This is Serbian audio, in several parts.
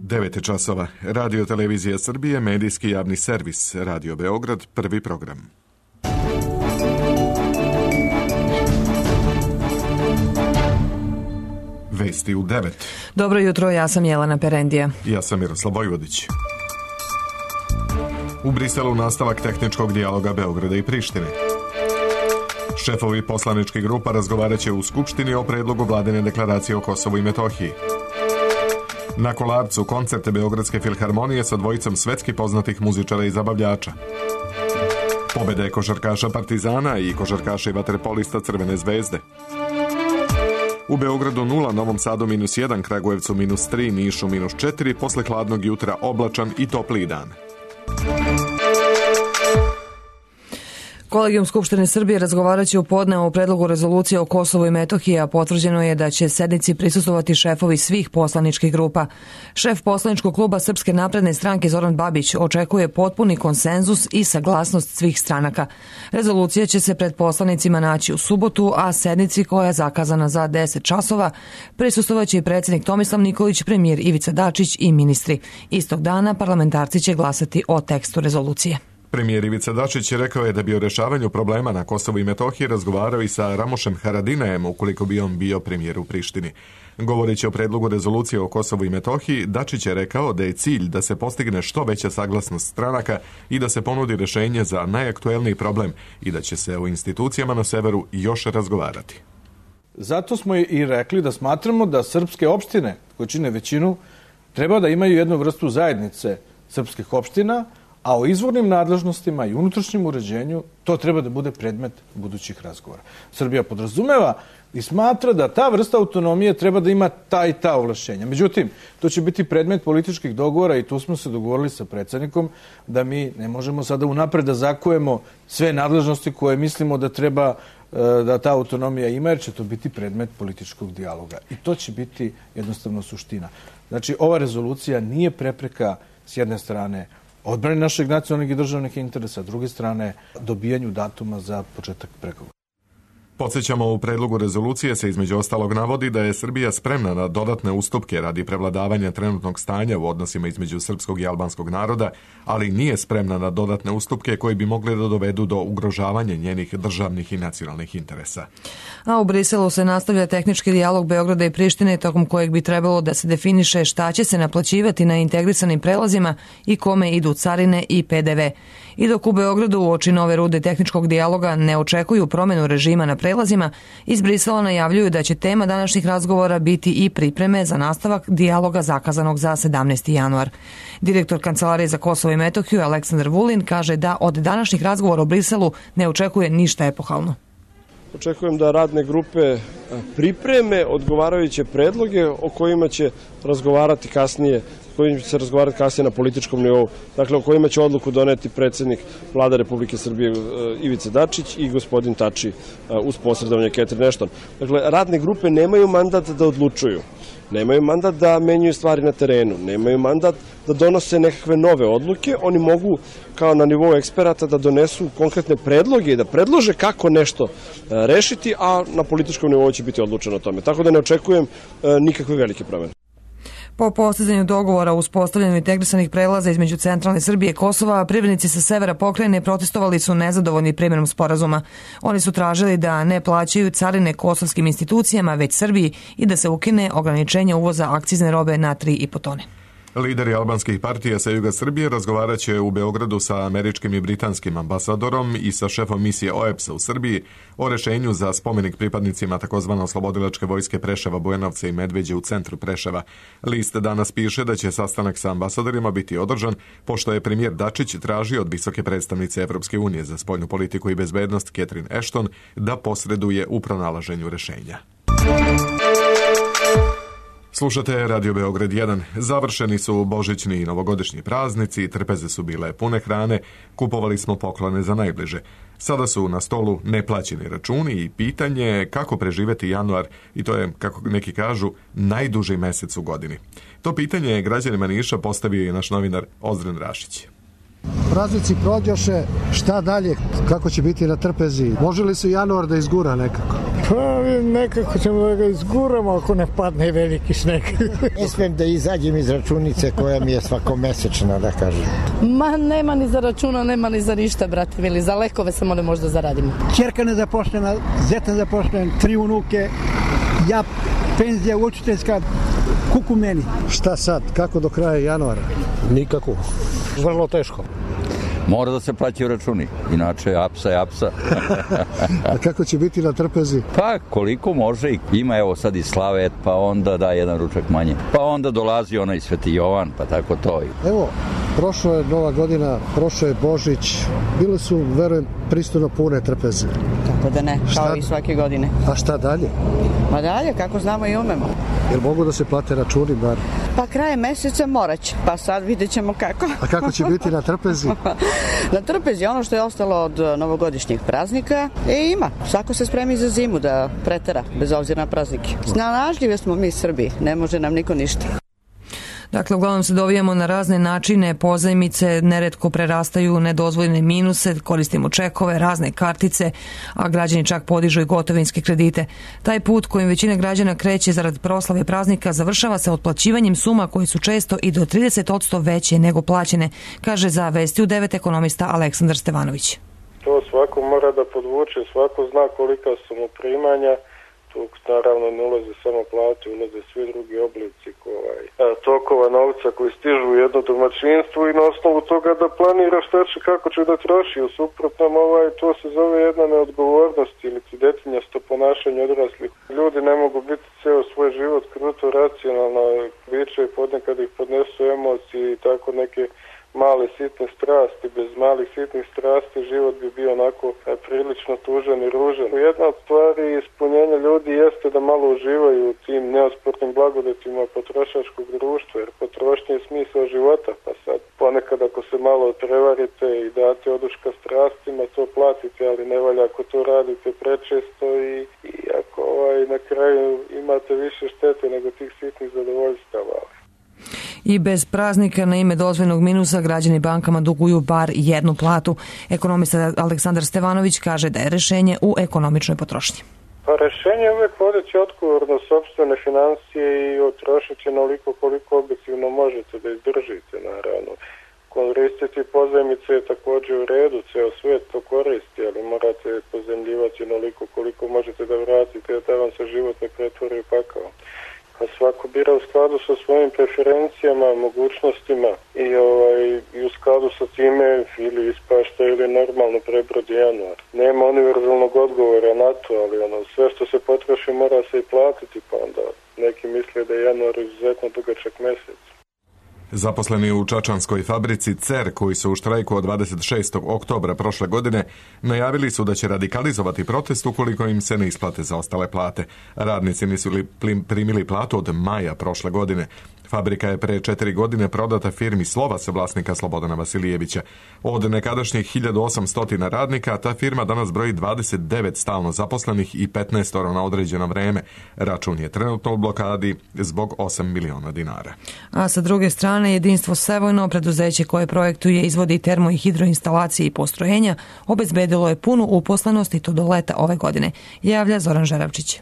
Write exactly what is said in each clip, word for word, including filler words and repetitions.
devet časova. Radio Televizija Srbije, medijski javni servis, Radio Beograd, prvi program. Vesti u devet. Dobro jutro, ja sam Jelena Perendija. Ja sam Miroslav Vojvodić. U Briselu nastavak tehničkog dijaloga Beograda i Prištine. Šefovi poslaničkih grupa razgovarat će u Skupštini o predlogu vladine deklaracije o Kosovu i Metohiji. Na Kolarcu koncerte Beogradske filharmonije sa dvojicom svetski poznatih muzičara i zabavljača. Pobede košarkaša Partizana i košarkaša i vaterpolista Crvene zvezde. U Beogradu nula, Novom Sadu minus jedan, Kragujevcu minus tri, Nišu minus četiri, posle hladnog jutra oblačan i topliji dan. Kolegijum Skupštine Srbije razgovarat će u podne o predlogu rezolucije o Kosovu i Metohiji, a potvrđeno je da će sednici prisustvovati šefovi svih poslaničkih grupa. Šef poslaničkog kluba Srpske napredne stranke Zoran Babić očekuje potpuni konsenzus i saglasnost svih stranaka. Rezolucija će se pred poslanicima naći u subotu, a sednici koja je zakazana za deset časova prisustvovaće i predsjednik Tomislav Nikolić, premijer Ivica Dačić i ministri. Istog dana parlamentarci će glasati o tekstu rezolucije. Premijer Ivica Dačić rekao je da bi o rešavanju problema na Kosovu i Metohiji razgovarao i sa Ramošem Haradinajem ukoliko bi on bio premijer u Prištini. Govoreći o predlogu rezolucije o Kosovu i Metohiji, Dačić je rekao da je cilj da se postigne što veća saglasnost stranaka i da se ponudi rešenje za najaktuelniji problem i da će se o institucijama na severu još razgovarati. Zato smo i rekli da smatramo da srpske opštine, koje čine većinu, treba da imaju jednu vrstu zajednice srpskih opština, a o izvornim nadležnostima i unutrašnjem uređenju to treba da bude predmet budućih razgovora. Srbija podrazumeva i smatra da ta vrsta autonomije treba da ima ta i ta ovlašćenja. Međutim, to će biti predmet političkih dogovora i tu smo se dogovorili sa predsjednikom da mi ne možemo sada unapred da zakujemo sve nadležnosti koje mislimo da treba da ta autonomija ima, jer će to biti predmet političkog dijaloga. I to će biti jednostavno suština. Znači, ova rezolucija nije prepreka s jedne strane odbrani našeg nacionalnih i državnih interesa, a s druge strane dobijanju datuma za početak pregovora. Podsjećamo, u predlogu rezolucije se između ostalog navodi da je Srbija spremna na dodatne ustupke radi prevladavanja trenutnog stanja u odnosima između srpskog i albanskog naroda, ali nije spremna na dodatne ustupke koji bi mogli da dovedu do ugrožavanja njenih državnih i nacionalnih interesa. A u Briselu se nastavlja tehnički dijalog Beograda i Prištine, tokom kojeg bi trebalo da se definiše šta će se naplaćivati na integrisanim prelazima i kome idu carine i P D V. I dok u Beogradu uoči nove runde tehničkog dijaloga ne očekuju promenu režima na prelazima, iz Brisela najavljuju da će tema današnjih razgovora biti i pripreme za nastavak dijaloga zakazanog za sedamnaesti januar. Direktor Kancelarije za Kosovo i Metohiju Aleksandar Vulin kaže da od današnjih razgovora u Briselu ne očekuje ništa epohalno. Očekujem da radne grupe pripreme odgovarajuće predloge o kojima će razgovarati kasnije, kojima će se razgovarati kasnije na političkom nivou, dakle o kojima će odluku doneti predsjednik Vlade Republike Srbije Ivica Dačić i gospodin Tači uz posredovanje Catherine Ashton. Dakle, radne grupe nemaju mandat da odlučuju, nemaju mandat da menjaju stvari na terenu, nemaju mandat da donose nekakve nove odluke, oni mogu kao na nivou eksperata da donesu konkretne predloge i da predlože kako nešto rešiti, a na političkom nivou će biti odlučeno o tome. Tako da ne očekujem nikakve velike promene. Po postizanju dogovora o uspostavljanju integrisanih prelaza između centralne Srbije i Kosova, privrednici sa severa pokrajine protestovali su nezadovoljni primjenom sporazuma. Oni su tražili da ne plaćaju carine kosovskim institucijama, već Srbiji, i da se ukine ograničenje uvoza akcizne robe na tri i po tone. Lideri albanskih partija sa juga Srbije razgovarat će u Beogradu sa američkim i britanskim ambasadorom i sa šefom misije O E P S-a u Srbiji o rešenju za spomenik pripadnicima takozvane oslobodilačke vojske Preševa, Bujanovca i Medveđe u centru Preševa. List danas piše da će sastanak sa ambasadorima biti održan, pošto je premijer Dačić tražio od visoke predstavnice Evropske unije za spoljnu politiku i bezbednost Catherine Ashton da posreduje u pronalaženju rešenja. Slušate Radio Beograd jedan. Završeni su božićni i novogodišnji praznici, trpeze su bile pune hrane, kupovali smo poklone za najbliže. Sada su na stolu neplaćeni računi i pitanje kako preživeti januar, i to je, kako neki kažu, najduži mesec u godini. To pitanje je građanima Niša postavio i naš novinar Ozren Rašić. Praznici prođoše, šta dalje, kako će biti na trpezi? Može li se januar da izgura nekako? Pa nekako ćemo da ga izguramo ako ne padne veliki sneg. Ne smijem da izađem iz računice koja mi je svakomesečna, da kažem. Ma nema ni za računa, nema ni za ništa, brate mili. Za lekove samo ne možda zaradimo. Čerka nezaposlena, zeta nezaposlena, tri unuke, ja penzija učiteljska, kuku meni. Šta sad? Kako do kraja januara? Nikako. Vrlo teško. Mora da se plaćaju računi, inače apsa je apsa. A kako će biti na trpezi? Pa koliko može, ima evo sad i slavet, pa onda da jedan ručak manje. Pa onda dolazi onaj Sveti Jovan, pa tako to. Evo, prošlo je Nova godina, prošlo je Božić, bile su, verujem, pristojno pune trpeze. Kako da ne, šta? Kao i svake godine. A šta dalje? Ma dalje, kako znamo i umemo. Jel mogu da se plate računi bar? Pa kraje meseca morat će, pa sad vidjet ćemo kako. A kako će biti na trpezi? Na trpezi ono što je ostalo od novogodišnjih praznika, e ima, svako se spremi za zimu da pretera, bez obzira na praznike. Snalažljive smo mi Srbi, ne može nam niko ništa. Dakle, uglavnom se dovijamo na razne načine, pozajmice neretko prerastaju u nedozvoljene minuse, koristimo čekove, razne kartice, a građani čak podižu i gotovinske kredite. Taj put kojim većina građana kreće zarad proslave praznika završava se otplaćivanjem suma koji su često i do trideset posto veće nego plaćene, kaže za Vesti u devet ekonomista Aleksandar Stevanović. To svako mora da podvuče, svako zna kolika su mu primanja. Tu naravno ne ulaze samo plate, ulaze svi drugi oblici ovaj, tokova novca koji stižu u jedno domaćinstvo i na osnovu toga da planira šta će, kako će da troši. U suprotnom, ovaj, to se zove jedna neodgovornost ili detinjasto ponašanje odraslih. Ljudi ne mogu biti ceo svoj život kruto racionalno, biće i ponekad ih podnesu emocije i tako neke male sitne strasti. Bez malih sitnih strasti život bi bio onako prilično tužan i ružan. Jedna od stvari ispunjenja ljudi jeste da malo uživaju u tim neospornim blagodetima potrošačkog društva, jer potrošnje je smisao života, pa sad ponekad ako se malo prevarite i date oduška strastima, to platite, ali ne valja ako to radite prečesto i, i ako ovaj, na kraju imate više štete nego tih sitnih zadovoljstava. I bez praznika na ime dozvoljnog minusa građani bankama duguju bar jednu platu. Ekonomista Aleksandar Stevanović kaže da je rešenje u ekonomičnoj potrošnji. Pa rešenje je uvek vodeći odgovorno sopstvene financije i otrošiti onoliko koliko objektivno možete da izdržite, naravno. Koristiti pozajmice je također u redu, ceo svet to koristi, ali morate pozajmljivati onoliko koliko možete da vratite, da vam se život ne pretvori u pakao. A svako bira u skladu sa svojim preferencijama, mogućnostima i, ovaj, i u skladu sa time ili ispašta ili normalno prebrodi januar. Nema univerzalnog odgovora na to, ali ono, sve što se potroši mora se i platiti, pa onda neki misle da je januar izuzetno dugačak mesec. Zaposleni u čačanskoj fabrici C E R, koji su u štrajku od dvadeset šestog oktobra prošle godine, najavili su da će radikalizovati protest ukoliko im se ne isplate zaostale plate. Radnici nisu li primili platu od maja prošle godine. Fabrika je pre četiri godine prodata firmi Slovas vlasnika Slobodana Vasilijevića. Od nekadašnjih hiljadu osamsto radnika, ta firma danas broji dvadeset devet stalno zaposlenih i petnaest na određeno vreme. Račun je trenutno u blokadi zbog osam miliona dinara. A sa druge strane, Jedinstvo Sevojno, preduzeće koje projektuje, izvodi termo i hidroinstalacije i postrojenja, obezbedilo je punu uposlenost i to do leta ove godine, javlja Zoran Žeravčić.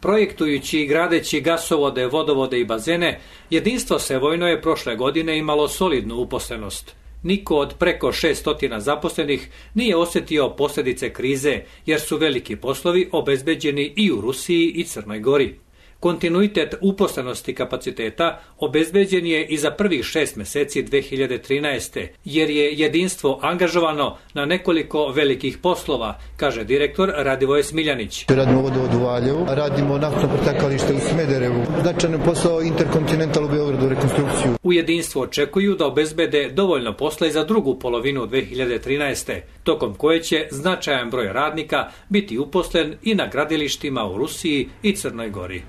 Projektujući i gradeći gasovode, vodovode i bazene, Jedinstvo Sevojno je prošle godine imalo solidnu uposlenost. Niko od preko šessto zaposlenih nije osjetio posljedice krize, jer su veliki poslovi obezbeđeni i u Rusiji i Crnoj Gori. Kontinuitet uposlenosti kapaciteta obezbeđen je i za prvih šest meseci dve hiljade trinaeste. jer je jedinstvo angažovano na nekoliko velikih poslova, kaže direktor Radivoje Smiljanić. Radimo vodovod u Valjevu, radimo naftno pretakalište u Smederevu, značajan posao Interkontinental u Beogradu, rekonstrukciju. U jedinstvu očekuju da obezbede dovoljno posla i za drugu polovinu dve hiljade trinaeste. tokom koje će značajan broj radnika biti uposlen i na gradilištima u Rusiji i Crnoj Gori.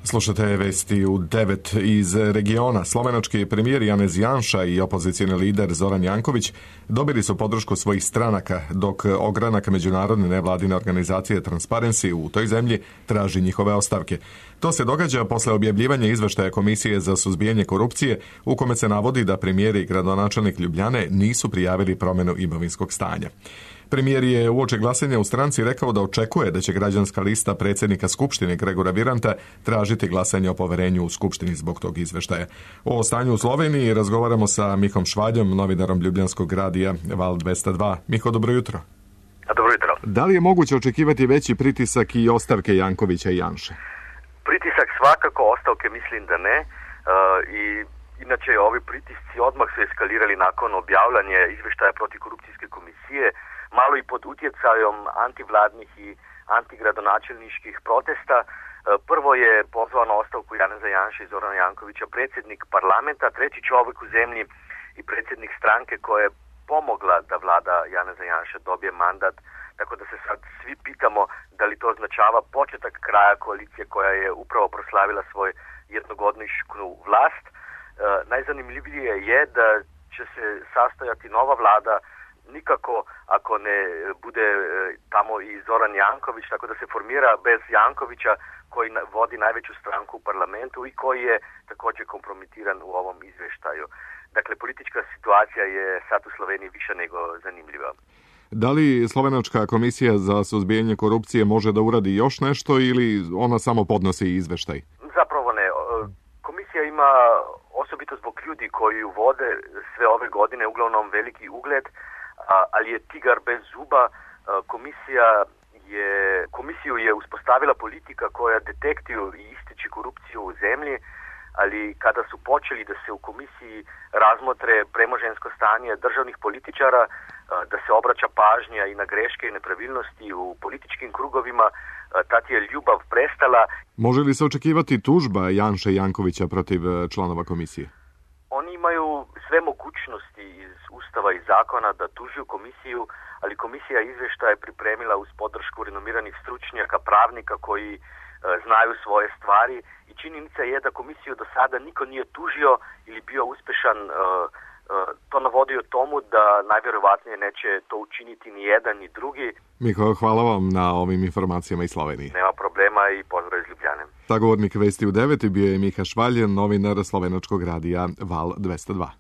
Slušate vesti u devet iz regiona. Slovenački premijer Janez Janša i opozicijni lider Zoran Janković dobili su podršku svojih stranaka, dok ogranak međunarodne nevladine organizacije Transparency u toj zemlji traži njihove ostavke. To se događa posle objavljivanja izveštaja Komisije za suzbijanje korupcije, u kome se navodi da premijer i gradonačelnik Ljubljane nisu prijavili promjenu imovinskog stanja. Premijer je uoči glasanja u stranci rekao da očekuje da će građanska lista predsjednika Skupštine Gregora Viranta tražiti glasanje o poverenju u Skupštini zbog tog izveštaja. O stanju u Sloveniji razgovaramo sa Mihom Švaljom, novinarom Ljubljanskog radija Val dvesta dva. Miho, dobro jutro. Dobro jutro. Da li je moguće očekivati veći pritisak i ostavke Jankovića i Janše? Pritisak svakako, ostavke mislim da ne. Uh, i inače ovi pritisci odmah su eskalirali nakon objavljanja izveštaja protiv korupcijske komisije, malo i pod utjecajom antivladnih i antigradonačelničkih protesta. Uh, prvo je pozvao na ostavku Janeza Janše i Zorana Jankovića predsjednik parlamenta, treći čovjek u zemlji i predsjednik stranke koja je pomogla da vlada Janeza Janše dobije mandat, tako da se sad svi pitamo da li to označava početak kraja koalicije koja je upravo proslavila svoj jednogodišnju vlast. E, najzanimljivije je da će se sastojati nova vlada nikako ako ne bude e, tamo i Zoran Janković, tako da se formira bez Jankovića koji na, vodi najveću stranku u parlamentu i koji je također kompromitiran u ovom izvještaju. Dakle, politička situacija je sad u Sloveniji više nego zanimljiva. Da li Slovenačka komisija za suzbijanje korupcije može da uradi još nešto ili ona samo podnosi izveštaj? Zapravo ne. Komisija ima, osobito zbog ljudi koji ju vode sve ove godine, uglavnom veliki ugled, ali je tigar bez zuba. Komisija je, komisiju je uspostavila politika koja detektiju i ističe korupciju u zemlji, ali kada su počeli da se u komisiji razmotre premožensko stanje državnih političara, da se obraća pažnja i na greške i nepravilnosti u političkim krugovima, tad je ljubav prestala. Može li se očekivati tužba Janše i Jankovića protiv članova komisije? Oni imaju sve mogućnosti iz Ustava i zakona da tužuju komisiju, ali komisija izvještaja je pripremila uz podršku renomiranih stručnjaka, pravnika koji znaju svoje stvari i činjenica je da komisiju do sada niko nije tužio ili bio uspješan. To navodi o tomu da najvjerovatnije neće to učiniti ni jedan ni drugi. Miho, hvala vam na ovim informacijama iz Slovenije. Nema problema i pozdrav iz Ljubljane. Sagovornik Vesti u devet bio je Miha Švalj, novinar Slovenačkog radija Val dvesta dva.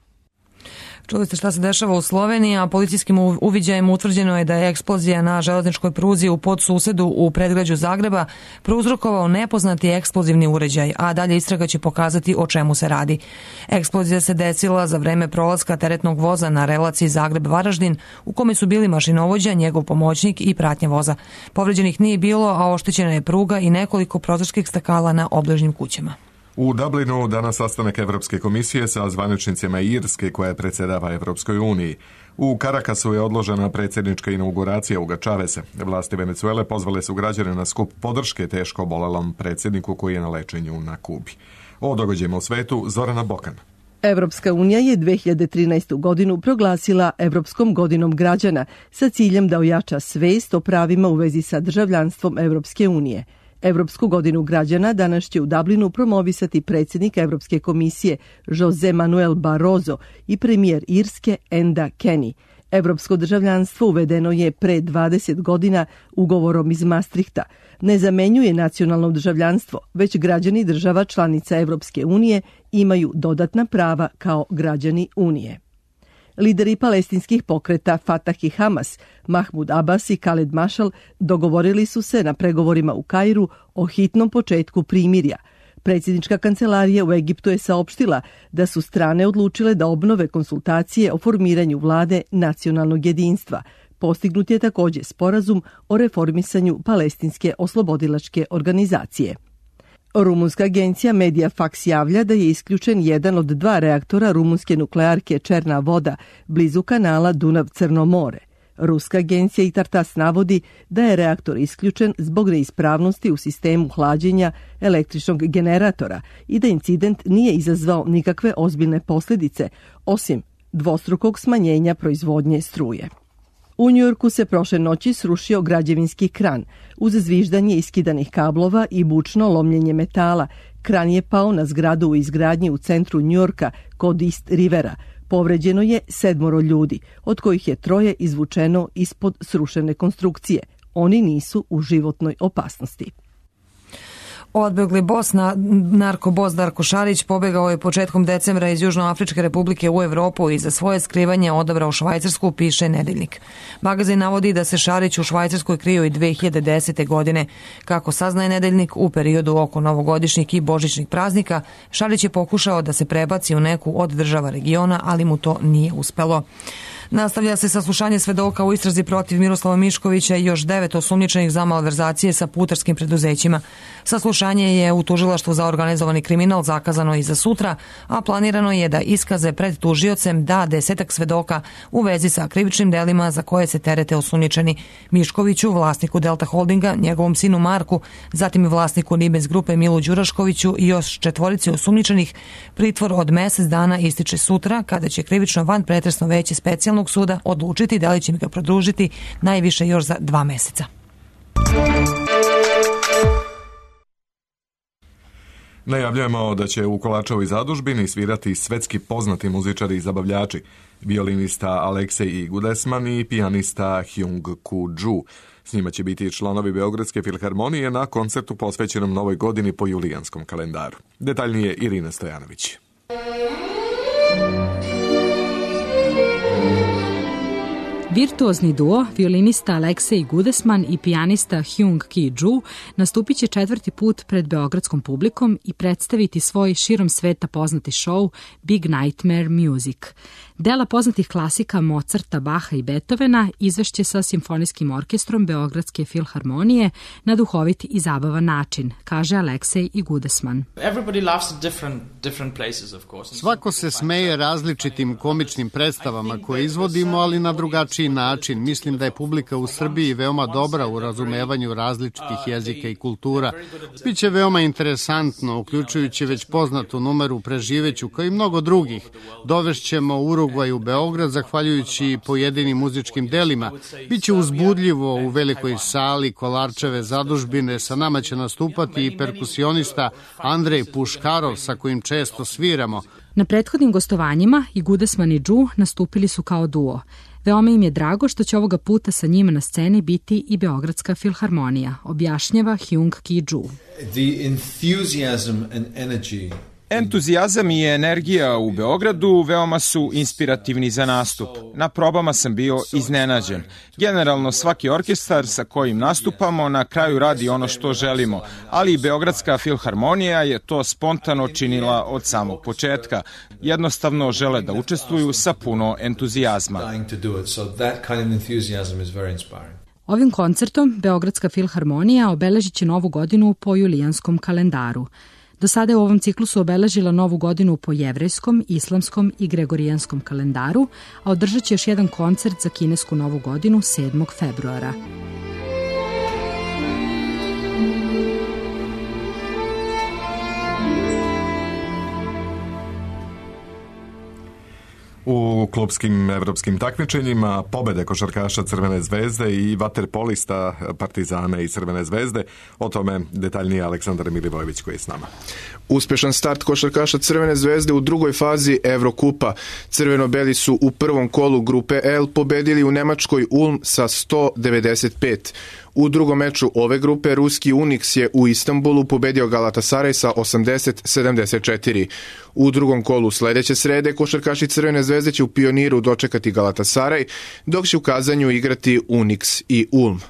Čuli ste šta se dešava u Sloveniji, a policijskim uviđajem utvrđeno je da je eksplozija na železničkoj pruzi u podsusedu u predgrađu Zagreba prouzrokovao nepoznati eksplozivni uređaj, a dalje istraga će pokazati o čemu se radi. Eksplozija se desila za vreme prolaska teretnog voza na relaciji Zagreb-Varaždin, u kome su bili mašinovođa, njegov pomoćnik i pratnja voza. Povređenih nije bilo, a oštećena je pruga i nekoliko prozorskih stakala na obližnjim kućama. U Dublinu danas sastanak Evropske komisije sa zvaničnicima Irske koja predsjedava Evropskoj uniji. U Karakasu je odložena predsjednička inauguracija Huga Chaveza. Vlasti Venezuele pozvale su građane na skup podrške teško obolelom predsjedniku koji je na lečenju na Kubi. O događajima u svetu Zorana Bokan. Evropska unija je dve hiljade trinaestu. godinu proglasila Evropskom godinom građana sa ciljem da ojača svest o pravima u vezi sa državljanstvom Evropske unije. Evropsku godinu građana danas će u Dublinu promovisati predsjednik Evropske komisije Jose Manuel Barroso i premijer Irske Enda Kenny. Evropsko državljanstvo uvedeno je pre dvadeset godina ugovorom iz Maastrichta. Ne zamenjuje nacionalno državljanstvo, već građani država članica Evropske unije imaju dodatna prava kao građani Unije. Lideri palestinskih pokreta Fatah i Hamas, Mahmud Abbas i Khaled Mashal, dogovorili su se na pregovorima u Kairu o hitnom početku primirja. Predsjednička kancelarija u Egiptu je saopštila da su strane odlučile da obnove konsultacije o formiranju vlade nacionalnog jedinstva. Postignut je također sporazum o reformisanju palestinske oslobodilačke organizacije. Rumunska agencija Mediafax javlja da je isključen jedan od dva reaktora rumunske nuklearke Černa voda blizu kanala Dunav-Crno more. Ruska agencija Itartas navodi da je reaktor isključen zbog neispravnosti u sistemu hlađenja električnog generatora i da incident nije izazvao nikakve ozbiljne posljedice, osim dvostrukog smanjenja proizvodnje struje. U Njujorku se prošle noći srušio građevinski kran. Uz zviždanje iskidanih kablova i bučno lomljenje metala, kran je pao na zgradu u izgradnji u centru Njujorka kod East Rivera. Povređeno je sedmoro ljudi, od kojih je troje izvučeno ispod srušene konstrukcije. Oni nisu u životnoj opasnosti. Odbegli bos, na, narkobos Darko Šarić pobegao je početkom decembra iz Južnoafričke republike u Evropu i za svoje skrivanje odabrao Švajcarsku, piše Nedeljnik. Magazin navodi da se Šarić u Švajcarskoj krio i dve hiljade desete. godine. Kako saznaje Nedeljnik, u periodu oko novogodišnjih i božićnih praznika, Šarić je pokušao da se prebaci u neku od država regiona, ali mu to nije uspelo. Nastavlja se saslušanje svedoka u istrazi protiv Miroslava Miškovića i još devet osumnjičenih za malverzacije sa putarskim preduzećima. Saslušanje je u tužilaštvu za organizovani kriminal zakazano i za sutra, a planirano je da iskaze pred tužiocem da desetak svedoka u vezi sa krivičnim delima za koje se terete osumnjičeni Miškoviću, vlasniku Delta Holdinga, njegovom sinu Marku, zatim vlasniku Nibens grupe Milu Đuraškoviću i još četvorici osumnjičenih. Pritvor od mesec dana ističe sutra, kada će krivično van pretresno veće specijalnog suda odlučiti da li će ga produžiti najviše još za dva meseca. Najavljujemo da će u Kolačevoj zadužbini svirati svetski poznati muzičari i zabavljači, violinista Aleksej Gudesman i pijanista Hyung Koo Ju. S njima će biti članovi Beogradske filharmonije na koncertu posvećenom Novoj godini po julijanskom kalendaru. Detaljnije Irina Stojanović. Virtuozni duo, violinista Aleksej Gudesman i pijanista Hyung Koo Ju nastupit će četvrti put pred beogradskom publikom i predstaviti svoj širom sveta poznati show Big Nightmare Music. Dela poznatih klasika Mozarta, Baha i Beethovena izvešće sa simfonijskim orkestrom Beogradske filharmonije na duhovit i zabavan način, kaže Aleksej Gudesman. Svako se smeje različitim komičnim predstavama koje izvodimo, ali na drugačiji način. Mislim da je publika u Srbiji veoma dobra u razumevanju različitih jezika i kultura. Biće veoma interesantno, uključujući već poznatu numeru Preživeću, kao i mnogo drugih. Dovešćemo Urugvaj u Beograd, zahvaljujući pojedinim muzičkim delima. Biće uzbudljivo u velikoj sali Kolarčeve zadužbine. Sa nama će nastupati i perkusionista Andrej Puškarov, sa kojim često sviramo. Na prethodnim gostovanjima i Gudesman i Ju nastupili su kao duo. Veoma im je drago što će ovoga puta sa njima na sceni biti i Beogradska filharmonija, objašnjava Hyung Koo Ju. The enthusiasm and energy Entuzijazam i energija u Beogradu veoma su inspirativni za nastup. Na probama sam bio iznenađen. Generalno svaki orkestar sa kojim nastupamo na kraju radi ono što želimo, ali i Beogradska filharmonija je to spontano činila od samog početka. Jednostavno žele da učestvuju sa puno entuzijazma. Ovim koncertom Beogradska filharmonija obeležit će novu godinu po julijanskom kalendaru. Do sada je u ovom ciklusu obeležila novu godinu po jevrejskom, islamskom i gregorijanskom kalendaru, a održat će još jedan koncert za kinesku novu godinu sedmog februara. U klubskim evropskim takmičenjima pobede košarkaša Crvene zvezde i vaterpolista Partizana i Crvene zvezde. O tome detaljnije Aleksandar Milivojević koji je s nama. Uspešan start košarkaša Crvene zvezde u drugoj fazi Evrokupa. Crveno-beli su u prvom kolu grupe L pobedili u Nemačkoj Ulm sa sto devedeset pet. U drugom meču ove grupe ruski Unix je u Istanbulu pobedio Galatasaray sa osamdeset sedamdeset četiri. U drugom kolu sledeće srede košarkaši Crvene zvezde će u Pioniru dočekati Galatasaray, dok će u Kazanju igrati Unix i Ulm.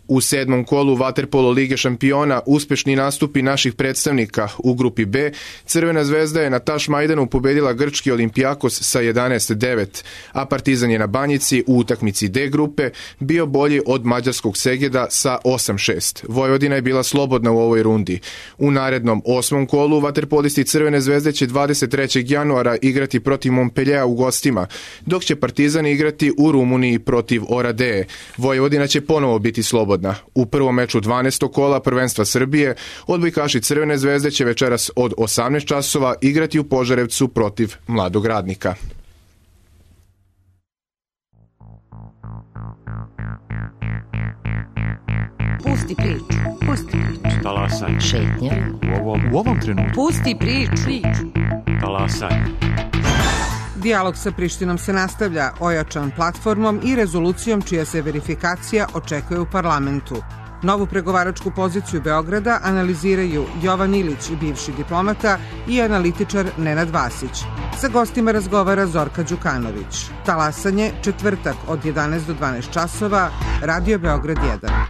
U sedmom kolu vaterpolo Lige šampiona uspešni nastupi naših predstavnika u grupi B. Crvena zvezda je na Tašmajdanu pobedila grčki Olimpijakos sa jedanaest devet, a Partizan je na Banjici u utakmici D grupe bio bolji od mađarskog Segeda sa osam šest. Vojvodina je bila slobodna u ovoj rundi. U narednom osmom kolu vaterpolisti Crvene zvezde će dvadeset trećeg januara igrati protiv Montpelliera u gostima, dok će Partizan igrati u Rumuniji protiv Oradeje. Vojvodina će ponovo biti slobodna. U prvom meču dvanaestog kola prvenstva Srbije odbojkaši Crvene zvezde će večeras od osamnaest časova igrati u Požarevcu protiv Mladog Radnika. Pusti priču, pusti priču. Talasaj. Šetnja. U ovom, u ovom trenutku. Pusti priču. Talasaj. Dijalog sa Prištinom se nastavlja, ojačan platformom i rezolucijom čija se verifikacija očekuje u parlamentu. Novu pregovaračku poziciju Beograda analiziraju Jovan Ilić, bivši diplomata, i analitičar Nenad Vasić. Sa gostima razgovara Zorka Đukanović. Talasanje, četvrtak od jedanaest do dvanaest časova, Radio Beograd jedan.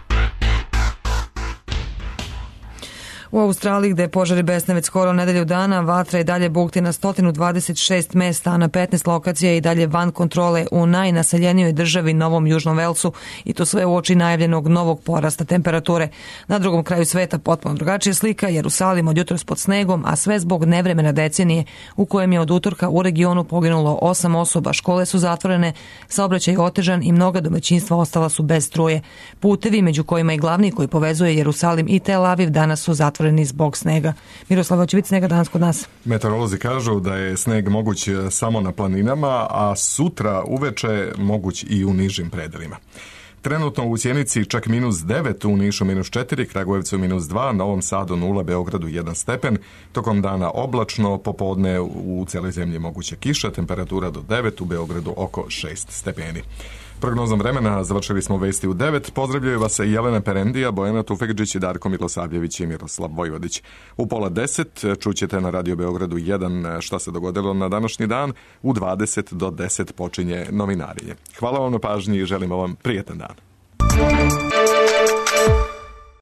U Australiji, gde požari besne već skoro nedelju dana, vatra i dalje bukti na sto dvadeset šest mesta, a na petnaest lokacija i dalje van kontrole u najnaseljenijoj državi Novom Južnom Velsu, i to sve uoči najavljenog novog porasta temperature. Na drugom kraju sveta potpuno drugačija slika, Jerusalim od jutros pod snegom, a sve zbog nevremena decenije u kojem je od utorka u regionu poginulo osam osoba, škole su zatvorene, saobraćaj otežan i mnoga domaćinstva ostala su bez struje. Putevi, među kojima i glavni koji povezuje Jerusalim i Tel Aviv, danas su zatvoreni zbog snega. Miroslava, hoće biti snega danas kod nas? Meteorolozi kažu da je sneg moguć samo na planinama, a sutra uveče moguć i u nižim predelima. Trenutno u Sjenici čak minus devet, u Nišu minus četiri, Kragujevcu minus dva, Novom Sadu nula, Beogradu jedan stepen. Tokom dana oblačno, popodne u cijeloj zemlji moguća kiša, temperatura do devet, u Beogradu oko šest stepeni. Prognozom vremena završili smo vesti u devet. Pozdravljaju vas i Jelena Perendija, Bojana Tufekđić i Darko Milosavljević i Miroslav Vojvodić. U pola deset čućete na Radio Beogradu jedan šta se dogodilo na današnji dan. U dvadeset do deset počinje novinarenje. Hvala vam na pažnji i želimo vam prijetan dan.